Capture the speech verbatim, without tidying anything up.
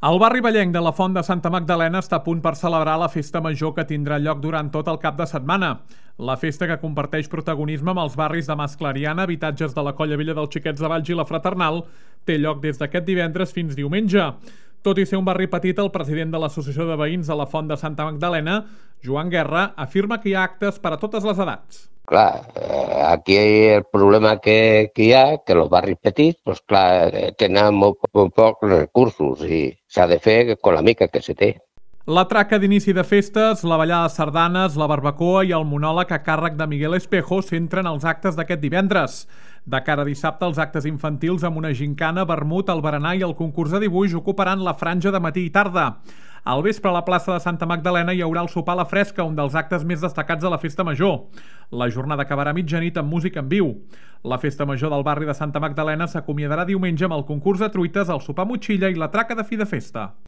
El barri vallenc de la Font de Santa Magdalena està a punt per celebrar la festa major que tindrà lloc durant tot el cap de setmana. La festa, que comparteix protagonisme amb els barris de Mas Clariana, habitatges de la Colla Vella dels Xiquets de Valls i la Fraternal, té lloc des d'aquest divendres fins diumenge. Tot i ser un barri petit, el president de l'Associació de Veïns de la Font de Santa Magdalena, Joan Guerra, afirma que hi ha actes per a totes les edats. Clar, eh, aquí el problema que, que hi ha, que els barris petits, doncs clar, tenen molt, molt pocs recursos i s'ha de fer amb la mica que se té. La traca d'inici de festes, la ballada de sardanes, la barbacoa i el monòleg a càrrec de Miguel Espejo centren els actes d'aquest divendres. De cara a dissabte, els actes infantils amb una gincana, vermut, el berenar i el concurs de dibuix ocuparan la franja de matí i tarda. Al vespre, a la plaça de Santa Magdalena hi haurà el sopar a la fresca, un dels actes més destacats de la festa major. La jornada acabarà a mitjanit amb música en viu. La festa major del barri de Santa Magdalena s'acomiadarà diumenge amb el concurs de truites, el sopar motxilla i la traca de fi de festa.